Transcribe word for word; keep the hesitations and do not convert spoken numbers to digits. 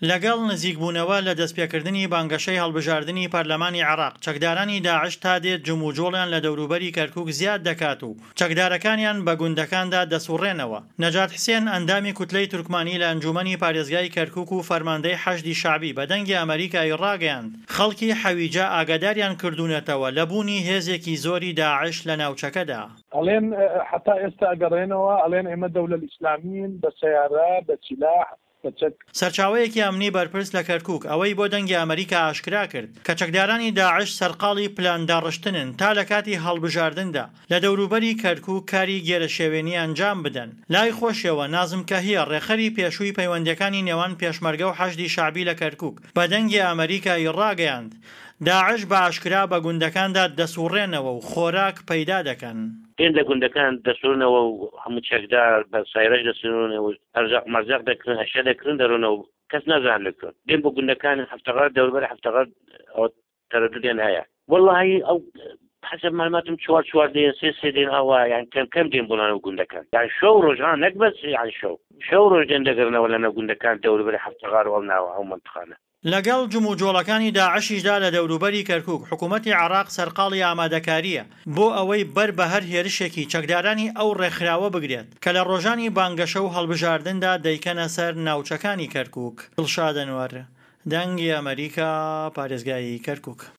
لەگەڵ نزیکبوونەوە لە دەستپێکردنی بانگەشەی هەڵبژاردنی پەرلەمانی عێراق، چەکدارانی داعش تا دێت جموجۆڵیان لە دەوروبەری کەرکوک زیاد دەکات و چەکدارەکانیان بە گوندەکاندا دەسوڕێنەوە. نەجات حسێن، ئەندامی کوتلەی تورکمانی لە ئەنجومەنی پارێزگای کەرکوک و فەرماندەی حەشدی شەعبی بە دەنگی ئەمەریکای ڕاگەیاند، خەڵکی حەویجە ئاگاداریان کردوونەتەوە لە بوونی هێزێکی زۆری داعش لە ناوچەکەدا. ئەڵێن حەتا ئێستا ئەگەڕێنەوە ئەڵێن ئێمە دەولە ئیسلامین بە سەیارە بە سیلاح بە چەک. سەرچاوەیەکی ئەمنی بەرپرس لە کەرکوک ئەوەی بۆ دەنگی ئەمەریکا ئاشکرا کرد کە چەکدارانی داعش سەرقاڵی پلانداڕشتنن تا لە کاتی هەڵبژاردندا لە دەوروبەری کەرکوک کاری گێرەشێوێنی ئەنجام بدەن. لای خۆشیەوە نازم کەهیە ڕێکخەری پێشووی پەیوەندیەکانی نێوان پێشمەرگە و حەشدی شەعبی لە کەرکوک بە دەنگی ئەمەریکای ڕاگەیاند داعش بە ئاشکرا بە گوندەکاندا دەسوڕێنەوە و خۆراک پەیدا دەکەن. دێن لە گوندەکان دەسوڕنەوە و هەموو چەکدار بە سایرەش دەسوڕنەوە و ئەرزاق مەرزاق دەکرن، ئەشیا دەکرن، دەڕۆنەوە کەس نازانێت لە کوێن. دێن بۆ گوندەکان هەفتەغار، دەوروبەری هەفتەغار ئەوە تەرەدودیان هەیە. وەڵڵاهی ئەو حەسەب معلوماتم چوار چوار دێن، سێ سێ دێن، ئاوا یان کەم کەم دێن بۆ ناو گوندەکان. یان شەو ڕۆژ ها، نەک بەس یان شەو، شەو ڕۆژ دێن دەگەڕنەوە لە ناو گوندەکان دەوروبەری هەفتەغار و ئەو ناوە ئەو مەنتقانە. لەگەڵ جموجۆڵەکانی داعشیشدا لە دەوروبەری کەرکوک، حکومەتی عێراق سەرقاڵی ئامادەکارییە بۆ ئەوەی بەر بە هەر هێرشێکی چەکدارانی ئەو ڕێکخراوە بگرێت کە لە ڕۆژانی بانگەشە و هەڵبژاردندا دەیکەنە سەر ناوچەکانی کەرکوک. دڵشاد ئەنوەر، دەنگی ئەمەریکا، پارێزگای کەرکوک.